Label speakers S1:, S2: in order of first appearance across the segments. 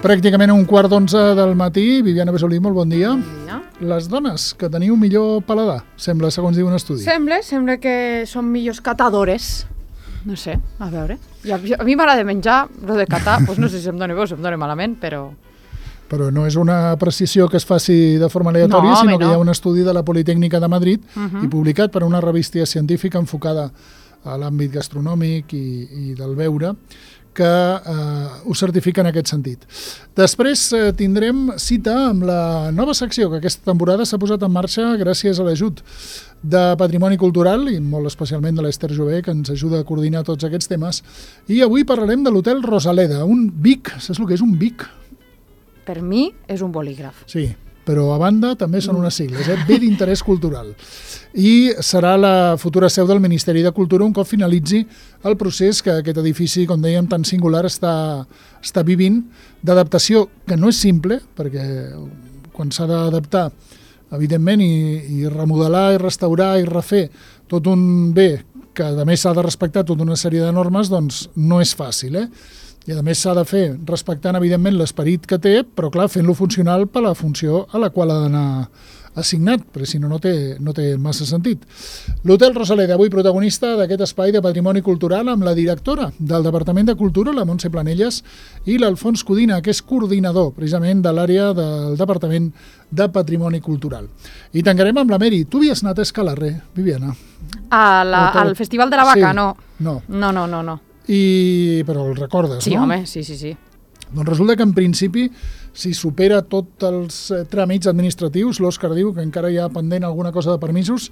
S1: Pràcticament a 11:15 del matí. Viviana Besolí, molt bon dia.
S2: Bon dia.
S1: Les dones que teniu millor paladar, sembla, segons diu un estudi.
S2: Sembla que són millors catadores. No sé, a veure. A mi m'agrada menjar, però de catar, doncs no sé si em dóna bé o si em dóna malament, però
S1: no és una precisió que es faci de forma aleatòria, sinó que hi ha un estudi de la Politècnica de Madrid i publicat per una revista científica enfocada a l'àmbit gastronòmic i del beure, que ho certifica en aquest sentit. Després tindrem cita amb la nova secció que aquesta temporada s'ha posat en marxa gràcies a l'ajut de Patrimoni Cultural i molt especialment de l'Ester Jové, que ens ajuda a coordinar tots aquests temes. I avui parlarem de l'Hotel Rosaleda, un BIC. Saps el que és un BIC?
S2: per mi és un bolígraf.
S1: Sí, però a banda també són unes sigles, B d'interès cultural. I serà la futura seu del Ministeri de Cultura un cop finalitzi el procés que aquest edifici, com dèiem, tan singular està vivint, d'adaptació, que no és simple, perquè quan s'ha d'adaptar, evidentment, i remodelar, i restaurar, i refer tot un bé que a més s'ha de respectar tota una sèrie de normes, doncs no és fàcil, I a més s'ha de fer respectant, evidentment, l'esperit que té, però clar, fent-lo funcional per la funció a la qual ha d'anar assignat, perquè si no, no té massa sentit. L'Hotel Rosaleda, avui protagonista d'aquest espai de patrimoni cultural amb la directora del Departament de Cultura, la Montse Planelles, i l'Alfons Codina, que és coordinador precisament de l'àrea del Departament de Patrimoni Cultural. I tancarem amb la Meri. Tu havies anat a Escalarre, Viviana?
S2: Al Festival de la Vaca,
S1: sí.
S2: No.
S1: No. Però el recordes,
S2: sí,
S1: no?
S2: Home, sí.
S1: Doncs resulta que en principi, si supera tots els tràmits administratius, l'Òscar diu que encara hi ha pendent alguna cosa de permisos,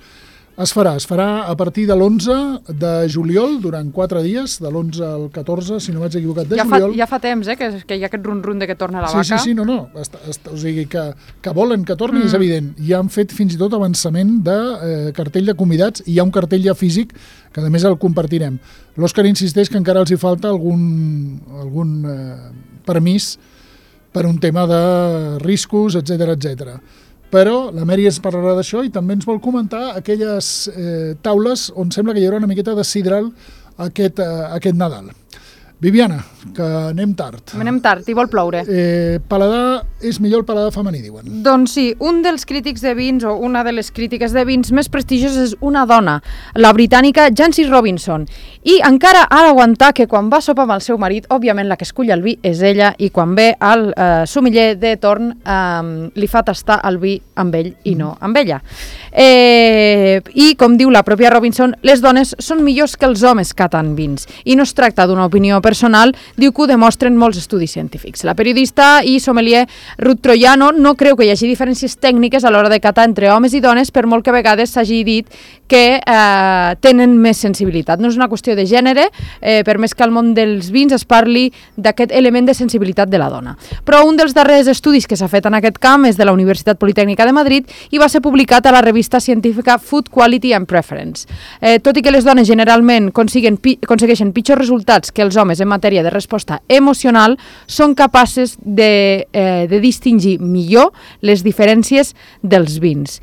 S1: es farà a partir de l'11 de juliol, durant 4 dies, de l'11 al 14, si no vaig equivocat, de juliol.
S2: Ja fa temps, que hi ha aquest run-run de que torna la vaca.
S1: Sí, no. O sigui, que volen que torni, és evident. Ja han fet fins i tot avançament de cartell de convidats, i hi ha un cartell ja físic, que a més el compartirem. L'Òscar insisteix que encara els hi falta algun permís per un tema de riscos, etc. Però la Meri ens parlarà d'això i també ens vol comentar aquelles taules on sembla que hi haurà una miqueta de sidral aquest Nadal. Viviana, que anem tard.
S2: Anem tard i vol ploure.
S1: Paladar és millor el paladar femení, diuen.
S2: Doncs sí, un dels crítics de vins o una de les crítiques de vins més prestigioses és una dona, la britànica Jancis Robinson. I encara ha d'aguantar que quan va a sopar amb el seu marit, òbviament la que escull el vi és ella, i quan ve al sommelier de torn li fa tastar el vi amb ell i no amb ella. I com diu la pròpia Robinson, les dones són millors que els homes catant vins. I no es tracta d'una opinió personal, diu que ho demostren molts estudis científics. La periodista i sommelier Ruth Troiano no creu que hi hagi diferències tècniques a l'hora de catar entre homes i dones, per molt que a vegades s'hagi dit que tenen més sensibilitat. No és una qüestió de gènere, per més que al món dels vins es parli d'aquest element de sensibilitat de la dona. Però un dels darrers estudis que s'ha fet en aquest camp és de la Universitat Politècnica de Madrid i va ser publicat a la revista científica Food Quality and Preference. Tot i que les dones generalment aconsegueixen pitjors resultats que els homes en matèria de resposta emocional, són capaces de distingir millor les diferències dels vins.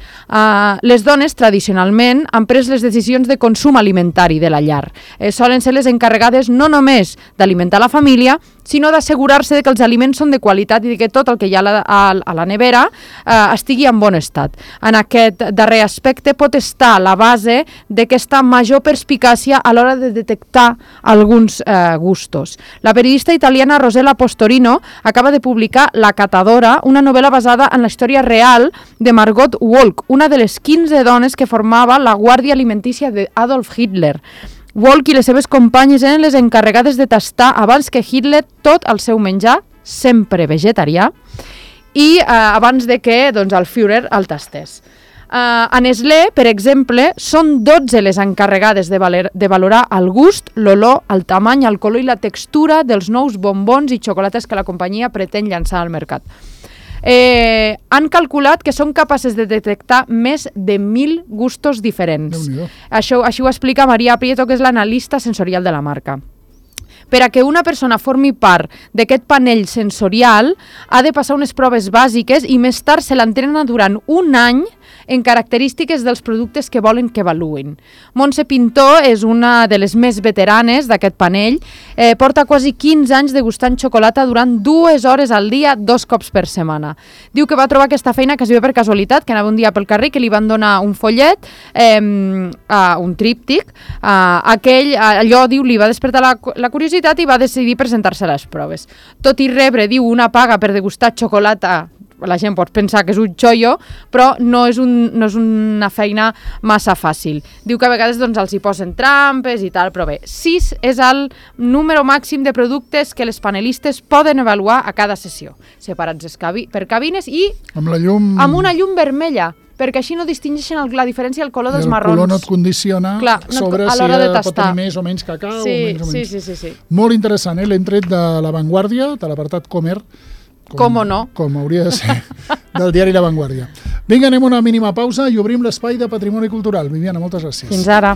S2: Les dones, tradicionalment, han pres les decisions de consum alimentari de la llar. Solen ser les encarregades no només d'alimentar la família, sinó d'assegurar-se que els aliments són de qualitat i que tot el que hi ha a la nevera estigui en bon estat. En aquest darrer aspecte pot estar la base d'aquesta major perspicàcia a l'hora de detectar alguns gustos. La periodista italiana Rosella Postorino acaba de publicar La catadora, una novel·la basada en la història real de Margot Wolk, una de les 15 dones que formava la guàrdia alimentícia d'Adolf Hitler. Wolk i les seves companyes eren les encarregades de tastar abans que Hitler tot el seu menjar, sempre vegetarià, i abans de que el Führer el tastés. A Nestlé, per exemple, són 12 les encarregades de valorar el gust, l'olor, el tamany, el color i la textura dels nous bombons i xocolates que la companyia pretén llançar al mercat. Han calculat que són capaces de detectar més de 1.000 gustos diferents. Això ho explica Maria Prieto, que és l'analista sensorial de la marca. Per a que una persona formi part d'aquest panell sensorial, ha de passar unes proves bàsiques i més tard se l'entrena durant un any en característiques dels productes que volen que avaluïn. Montse Pintó és una de les més veteranes d'aquest panell, porta quasi 15 anys degustant xocolata durant 2 hores al dia, 2 cops per setmana. Diu que va trobar aquesta feina quasi bé per casualitat, que anava un dia pel carrer, que li van donar un follet, un tríptic, allò, diu, li va despertar la curiositat i va decidir presentar-se a les proves. Tot i rebre, diu, una paga per degustar xocolata, la gent pot pensar que és un xollo, però no és una feina massa fàcil. Diu que a vegades els hi posen trampes i tal, però bé, 6 és el número màxim de productes que les panelistes poden avaluar a cada sessió, separats per cabines i amb una llum vermella, perquè així no distingeixen la diferència del color dels marrons.
S1: El color no et condiciona sobre si pot tenir més o menys cacau o menys o menys.
S2: Sí.
S1: Molt interessant, l'hem tret de La Vanguardia, de l'apartat Comer,
S2: com no?
S1: Com hauria de ser, del diari La Vanguardia. Vinga, anem a una mínima pausa i obrim l'espai de Patrimoni Cultural. Viviana, moltes gràcies.
S2: Fins ara.